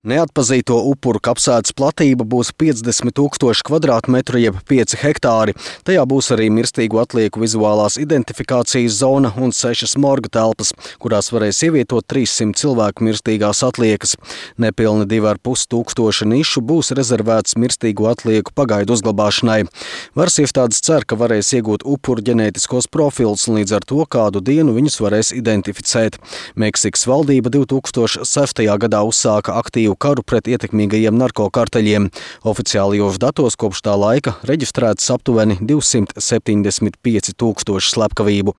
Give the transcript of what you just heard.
Neatpazīto upuru kapsētas platība būs 50 000 kvadrātmetru jeb 5 hektāri. Tajā būs arī mirstīgo atlieku vizuālās identifikācijas zona un 6 morga telpas, kurās varēs ievietot 300 cilvēku mirstīgās atliekas. Nepilni 2500 nišu būs rezervētas mirstīgo atlieku pagaidu uzglabāšanai. Varas iestādes cer, ka varēs iegūt upuru ģenētiskos profilus un līdz ar to kādu dienu viņus varēs identificēt. Meksikas valdība 2006. gadā uzsāka aktīvu karu pret ietekmīgajiem narkokarteļiem. Oficiālajos datos kopš tā laika reģistrētas aptuveni 275 000 slepkavību.